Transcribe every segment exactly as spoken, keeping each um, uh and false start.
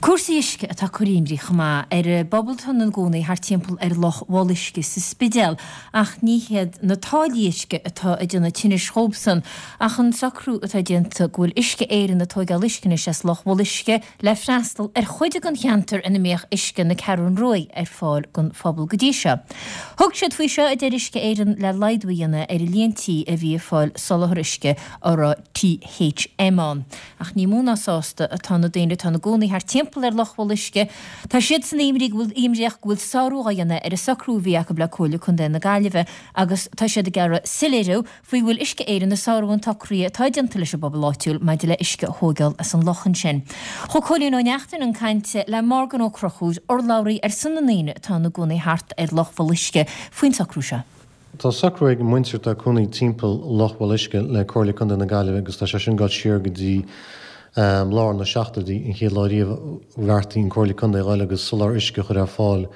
Cúrsaí uisce atá ag cur imní chomh maith ar an bpobal atá ina gcónaí thart timpeall ar Loch Bholuisce sa Spidéal ach ní hiad na táillí uisce atá ag déanamh tinnis dhóibhsan ach an socrú atá déanta go bhfuil Uisce Éireann ag tóigeáil uisce anois as Loch Bholuisce le freastal ar chuid den cheantar ina mbíodh uisce na Ceathrún Ruaidh ar fáil don phobal go dtí seo. Thug siad faoi seo a deir Uisce Éireann le laghdú a dhéanamh ar an líon tí a bhí ag fáil soláthar uisce a raibh THM ann. Ach ní mó ná sásta atá na daoine atá ina gcónaí thart timpeall ar Loch Bholuisce. Tá siadsan imní go bhfuil imníoch go bhfuil sárú á dhéanamh ar an socrú a bhí acu le Comhairle Contae na Gaillimhe agus tá siad ag iarraidh soiléiriú faoi bhfuil Uisce Éireann ag sárú an tsocraithe atá déanta leis an bpobal áitiúil maidir le uisce a thógáil as an loch ansin. Chuaigh Cóilín Ó Neachtain chun cainte le Morgan Ó Conchúir, urlabhraí ar son na ndaoine atá ina gcónaí thart ar Loch Bholuisce faoin socrú seo. Tá socrú ag muintir atá ina gcónaí timpeall Loch Bholuisce le Comhairle Contae na Gaillimhe agus tá sé sin ag dul siar go dtí um, lár na seachtóidí an chéad lá riamh a bheartaigh an Comhairle Contae a dhul agus soláthar uisce a chur ar fáil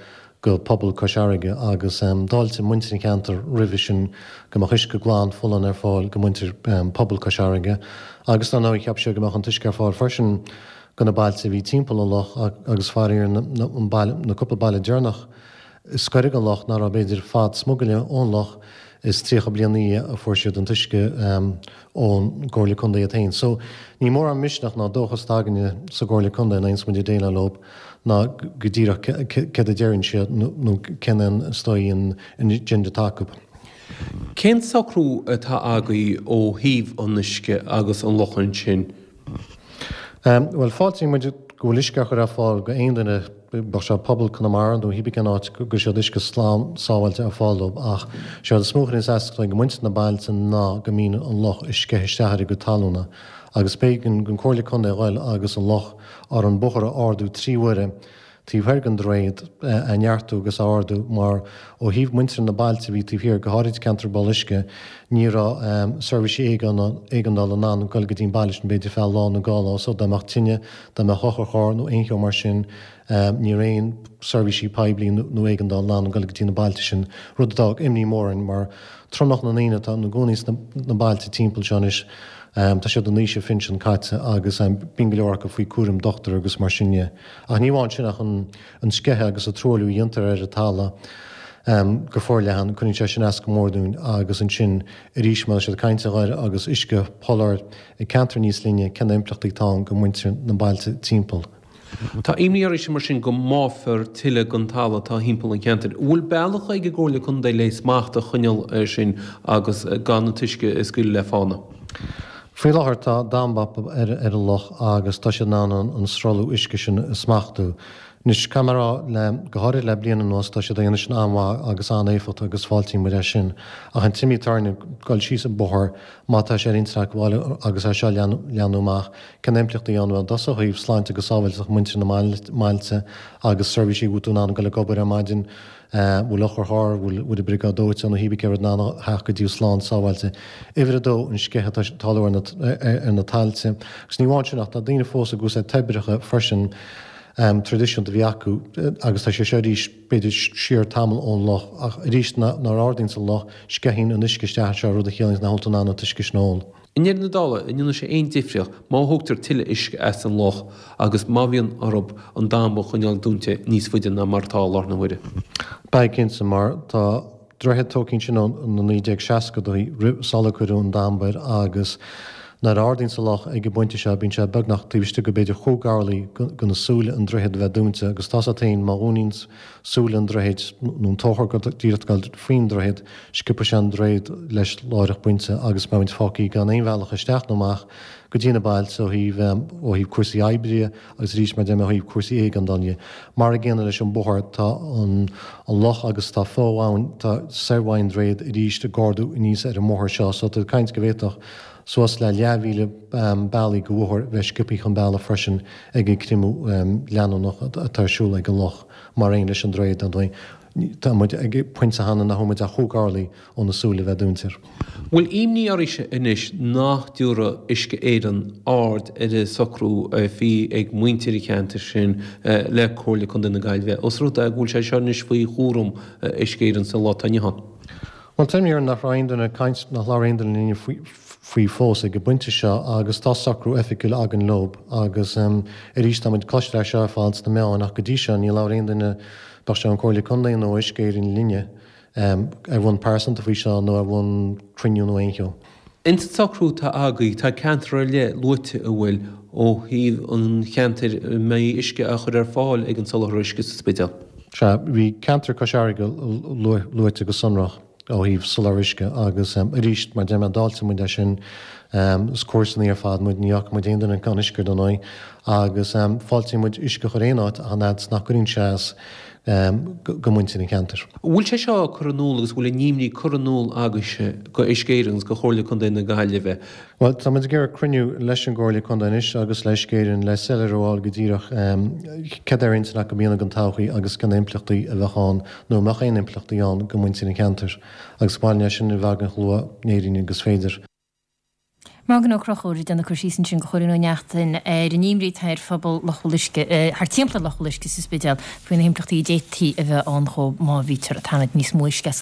go pobal Chois Fharraige agus um, d'fháiltigh muintir an cheantair roimhe sin go mbeadh uisce glan folláin ar fáil go muintir um, pobal Chois Fharraige agus dar ndóigh cheap siad go mbeadh an t-uisce ar fáil freisin go na bailte a bhí timpeall an loch agus faraor na, na, an baile, na cúpla baile deireanach is gaire don loch nach raibh b'fhéidir fad smugairle ón loch is tríocha bliain a fuair siad an t-uisce um, ón gComhairle Contae iad féin. So ní mór an misneach ná dóchas againne sa gComhairle Contae ná muid ag déileáil leo ná go díreach céard a deireann siad nó cén an stoi an agenda atá acu. Cén socrú atá agaibh ó thaobh an uisce agus an loch ansin? Um, well fáiltíonn muid go bhfuil uisce á chur ar fáil go aon duine bíodh sé pobal Conamara nó cibé cén áit go siad uisce slán sábháilte ar fáil dóibh ach sé is mó a chuireann as go muintir na bailte ná go mbíonn an loch ag sceitheadh isteach ar a gcuid talúna agus b'éigean don Chomhairle Contae a dhul agus an loch ar an bóthar a ardú trí huaire taobh thoir den droichead a neartú agus a ardú mar ó thaobh muintir na bailte bhí taobh thiar go háirid ceantar Boluisce ní raibh um, seirbhísí éigeandála in ann dul go dtí an baile sin b'fhéidir feadh lá nó dhá lá so dá mbeadh tine dá mbeadh otharcharr nó aon cheo mar sin um, ní raibh aon seirbhísí poiblí nó éigeandála in ann dul go dtí na bailte sin rud a d'fhág imní mór orainn mar tromlach na ndaoine atá ina gcónaí sna bailte timpeall seo anois Um, tá siad in aois a phinsean caite agus um, bíonn go leor acu faoi cúram dochtúir agus mar sin de. Ach ní amháin sin ach an, an sceitheadh agus an truailliú a dhéantar ar an talamh um, go forleathan cuireann sé sin as go mór dúinn agus ansin arís má siad cainte air agus uisce sholáthar i ceantar níos linne cén impleachtaí atá go muintir na bailte timpeall. Tá imní oraibhse mar sin go mbáfar tuilleadh den talamh atá timpeall an cheantair. Bhfuil bealach ag an gComhairle Contae le smacht a choinneáil air sin agus gan an t-uisce a scaoileadh le fána. Faoi láthair tá damba ar, ar an loch agus tá siad in ann an, an sruthlú uisce sin a smachtú. Anois caithfidh mé a rá le go háirid le bliain anuas tá siad ag déanamh sin an-mhaith agus an-éifeachtach agus fáiltíonn muid é sin. Ach an t-imní atá orainn dul síos an bóthar má tá sé ar intinn acu agus é seo leathnú amach cén impleachtaí ann well dos ó thaobh sláinte agus sábháilteacht muintir na mbailte agus seirbhísí bhfuil tú in ann dul ag obair ar maidin bhfuil otharcharr bhfuil bhfuil briogáid dóiteáin nó cibé céard in ann theacht go dtí slán sábháilte. Uimhir a dó an sceitheadh atá ag tarlú ar na, ar na tailte. Agus ní amháin sin ach tá daoine fós ag úsáid toibreacha freisin um, traidisiúnta a bhí acu agus tá sé seo arís b'fhéidir siar tamall ón loch ach arís nuair a ardaíonn an loch sceitheann an uisce isteach seo rud a chiallaíonn nach bhfuil tú in ann an t-uisce sin a ól. I ndeireadh na dála, an ndéanann sé aon difríocht má thógtar tuilleadh uisce as an loch agus má bhíonn orthu an damba a choinneáil dúnta níos faide ná mar atá i láthair na huaire. Beidh cinnte mar tá droichead tógtha ansin ó na naoi déag seascadaí sular cuireadh an damba air agus nuair a ardaíonn an loch ag an bpointe seo bíonn sé beagnach taobh istigh go b'fhéidir chúig orlaí go na súile an droichead a bheith dúnta agus tá sé féin má dhúnaíonn súile an droichid nó an tóchar go díreach dul faoin droichead sciobfaidh sé an droichead leis láithreach pointe agus beimid fágtha gan aon bhealach isteach nó amach go dtí na bailte ó thaobh ó thaobh cúrsaí oibre agus arís mar deir mé ó thaobh cúrsaí éigeandála. Mar an gcéanna leis an bóthar tá an, an loch agus tá fo-abhainn tá soir-abhainn droichead arís ag ardú aníos ar an mbóthar seo so tá caint go bhféadfadh suas le leathmhíle um, bealaigh go bhóthar bheith sciobtha chun bealaigh freisin ag an creimeadh um, leanúnach atá ar siúl ag an loch mar aon leis an droichead an dóigh. Tá muid ag pointe cheana nach bhfuil muid ach chúig orlaí ó na súile bheith dúnta. Bhfuil imní oraibhse anois nach dtabharfaidh Uisce Éireann aird ar an socrú a bhí ag muintir an cheantair sin le Comhairle Contae na Gaillimhe, os rud é go bhfuil sé seo anois faoi chúram Uisce Éireann sa lá atá inniu ann. Well tá imní nach raibh aon duine caint nach labhair aon duine linn faoi faoi fós ag an bpointe seo agus tá socrú oifigiúil againn leob agus arís tá muid ag cloisteáil é seo ar fad sna meáin ach go dtí seo níor labhair aon duine, bíodh sé an Comhairle Contae nó Uisce Éireann linne ar bhonn pearsanta faoi seo nó ar bhonn cruinniú nó aon cheo. Ins an socrú atá agaibh tá ceantar ar leith luaite an bhfuil ó thaobh an cheantair a mbeidh uisce á chur ar fáil ag an soláthar uisce sa Spidéal. Sea, bhí ceantar Cois Fharraige luaite go sonrach ó thaobh soláthar uisce agus arís, mar a deir mé, d'fháiltigh muid é sin. Is comharsanaí ar fad muid, ní fhágfaidh muid aon duine gan uisce ar ndóigh agus fáiltíonn muid uisce a chur aon áit ach an fhad is nach gcuireann sé as go muintir an cheantair. An bhfuil sé seo curtha in iúl agus an bhfuil an imní curtha in iúl agaibhse go Uisce Éireann agus go Chomhairle Contae na Gaillimhe? Bhuel, tá muid ag iarraidh cruinniú leis an gComhairle Contae anois agus le Uisce Éireann le soiléiriú a fháil go díreach céard ar intinn acu a dhéanamh don todhchaí agus cé na himpleachtaí a bheadh ann nó an mbeadh aon impleachtaí ann go muintir an cheantair agus ba mhaith linn é sin a bheith againn chomh luath in Éirinn agus is féidir. Morgan Ó Conchúir ag déanamh cur síos ansin do Chóilín Ó Neachtain ar an imní atá ar phobal Loch Bholuisce, thar timpeall ar Loch Bholuisce sa Spidéal faoi na himpleachtaí a d'fhéadfaí a bheith ann dhóibh má bhítear ag tarraingt níos mó uisce as